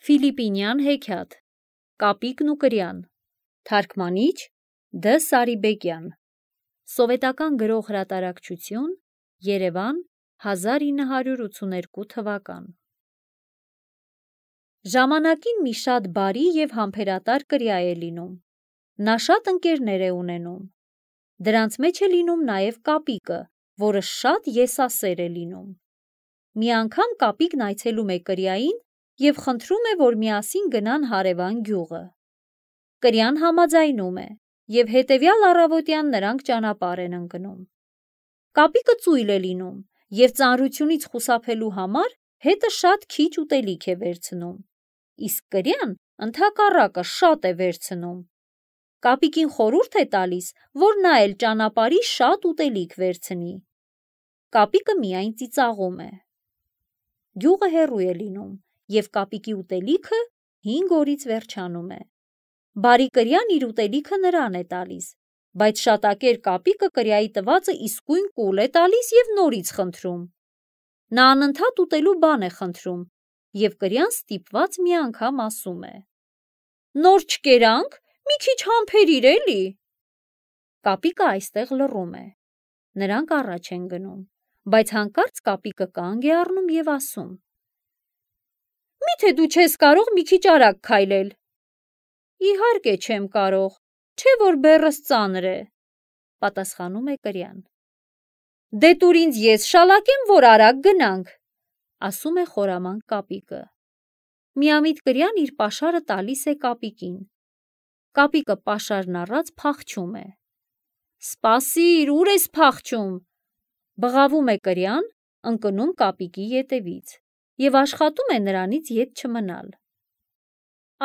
Ֆիլիպինյան հեքիաթ Կապիկն ու կրյան Թարգմանիչ Դ. Սարիբեկյան Սովետական գրող հրատարակչություն Երևան 1982 թվական Ժամանակին մի շատ բարի և համբերատար կրյա է լինում։ Նա շատ ընկերներ է ունենում։ Դրանց մեջ է լինում նաև Կապիկը, որը շատ եսասեր է լինում։ Մի անգամ Կապիկն այցելում է կրյային և խնդրում է, որ միասին գնան հարևան գյուղը։ Կրյան համաձայնում է, և հետևյալ առավոտյան նրանք ճանապարհ են ընկնում։ Կապիկը ծույլ է լինում և ծանրությունից խուսափելու համար հետը շատ քիչ ուտելիք է վերցնում, իսկ կրյան ընդհակառակը շատ է վերցնում։ Կապիկին խորհուրդ է տալիս, որ նա էլ ճանապարհի շատ ուտելիք վերցնի։ Կապիկը միայն ծիծաղում է։ Գյուղը հեռու է լինում, և Կապիկի ուտելիքը 5 օրից վերջանում է։ Բարի կրյան իր ուտելիքը նրան է տալիս, բայց շատակեր Կապիկը կրյայի տվածը իսկույն կուլ է տալիս և նորից խնդրում։ Նա անընդհատ ուտելու բան է խնդրում, և կրյան ստիպված մի անգամ ասում է. «Նոր չկերանք, մի քիչ համբերիր էլի»։ Կապիկը այստեղ լռում է։ Նրանք առաջ են գնում, բայց հանկարծ Կապիկը կանգ է առնում և ասում. «Մի՞թե դու չես կարող մի քիչ արագ քայլել»։ «Իհարկե չեմ կարող, չէ որ բեռս ծանր է», պատասխանում է կրյան։ «Դե տուր ինձ ես շալակեմ, որ արագ գնանք», ասում է խորամանկ Կապիկը։ Միամիտ կրյան իր պաշարը տալիս է Կապիկին։ Կապիկը պաշարն առած փախչում է։ «Սպասիր, ուր ես փախչում», բղավում է կրյան, ընկնում Կապիկի ետևից և աշխատում է նրանից ետ չմնալ։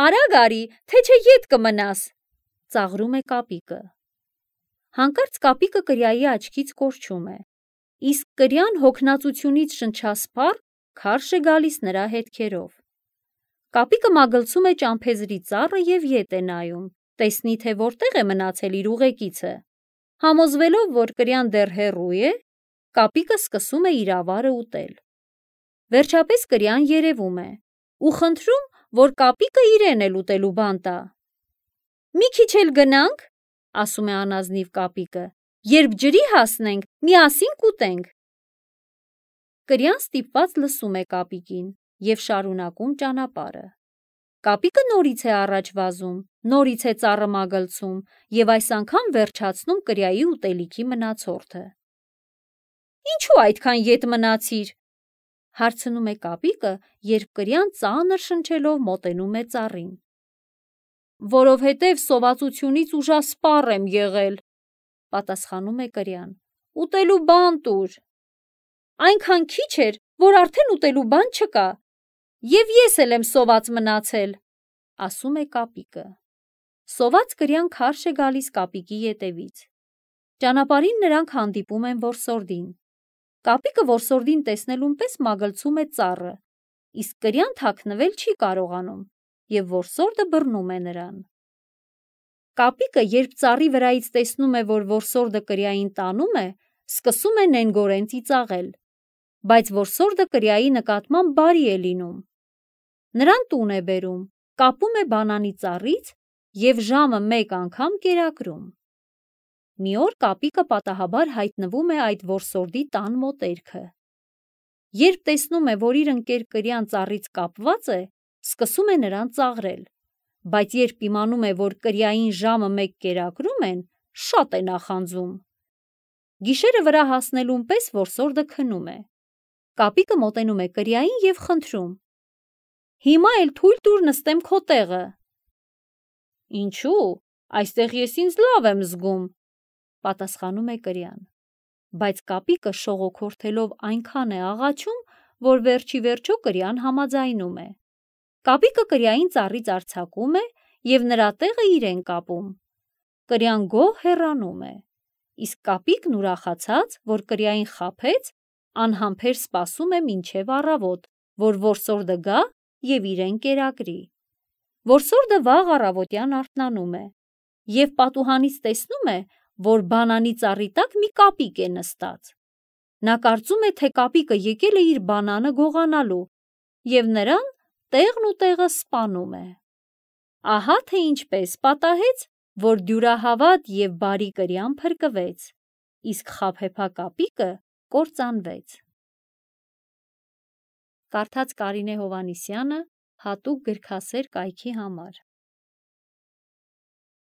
«Արագ արի, թե չէ ետ կմնաս», ծաղրում է Կապիկը։ Հանկարծ Կապիկը կրյայի աչքից կորչում է, իսկ կրյան հոգնածությունից շնչասպառ քարշ է գալիս նրա հետքերով։ Կապիկը մագլցում է ճամփեզրի ծառը և ետ է նայում, տեսնի, թե որտեղ է մնացել իր ուղեկիցը։ Համոզվելով, որ կրյան դեռ հեռու է, Կապիկը սկսում է իր ավարը ուտել։ Վերջապես կրյան երևում է ու խնդրում, որ Կապիկը իրեն էլ ուտելու բան տա։ «Մի քիչ էլ գնանք», ասում է անազնիվ Կապիկը, «երբ ջրի հասնենք, միասին կուտենք»։ Կրյան ստիպված լսում է Կապիկին և շարունակում ճանապարհը։ Կապիկը նորից է առաջ վազում, նորից է ծառը մագլցում և այս անգամ վերջացնում կրյայի ուտելիքի մնացորդը։ «Ինչու այդքան ետ մնացիր», հարցնում է Կապիկը, երբ կրյան ծանր շնչելով մոտենում է ծառին։ «Որովհետև սովածությունից ուժասպառ եմ եղել», պատասխանում է կրյան։ «Ուտելու բան տուր»։ «Այնքան քիչ էր, որ արդեն ուտելու բան չկա, և ես էլ եմ սոված մնացել», ասում է Կապիկը։ Սոված կրյան քարշ է գալիս Կապիկի ետևից։ Ճանապարհին նրանք հանդիպում են որսորդին։ Կապիկը որսորդին տեսնելուն պես մագլցում է ծառը, իսկ կրյան թաքնվել չի կարողանում, և որսորդը բռնում է նրան։ Կապիկը, երբ ծառի վրայից տեսնում է, որ որսորդը կրյային տանում է, սկսում է նենգորեն ծիծաղել, բայց որսորդը կրյայի նկատմամբ բարի է լինում։ Նրան տուն է բերում, կապում է բանանի ծառից և ժամը մեկ անգամ կերակրում։ Մի օր Կապիկը պատահաբար հայտնվում է այդ որսորդի տան մոտերքը։ Երբ տեսնում է, որ իր ընկեր կրյան ծառից կապված է, սկսում է նրան ծաղրել, բայց երբ իմանում է, որ կրյային ժամը մեկ կերակրում են, շատ է նախանձում։ Գիշերը վրա հասնելուն պես որսորդը քնում է։ Կապիկը մոտենում է կրյային և խնդրում. «Հիմա էլ թույլ տուր նստեմ քո տեղը»։ «Ինչու՞, այստեղ ես ինձ լավ եմ զգում», պատասխանում է կրյան։ Բայց Կապիկը շողոքորթելով այնքան է աղաչում, որ վերջիվերջո կրյան համաձայնում է։ Կապիկը կրյային ծառից արձակում է և նրա տեղը իրեն կապում։ Կրյան գոհ հեռանում է, իսկ Կապիկն ուրախացած, որ կրյային խաբեց, անհամբեր սպասում է մինչև առավոտ, որ որսորդը գա և իրեն կերակրի։ Որսորդը վաղ առավոտյան արթնանում է և պատուհանից տեսնում է, որ բանանի ծառի տակ մի Կապիկ է նստած։ Նա կարծում է, թե Կապիկը եկել է իր բանանը գողանալու և նրան տեղն ու տեղը սպանում է։ Ահա թե ինչպես պատահեց, որ դյուրահավատ և բարի կրյան փրկվեց, իսկ խաբեբա կապիկը կործանվեց։ Կարդաց Կարինե Հովհաննիսյանը հատուկ գրքասեր կայքի համար։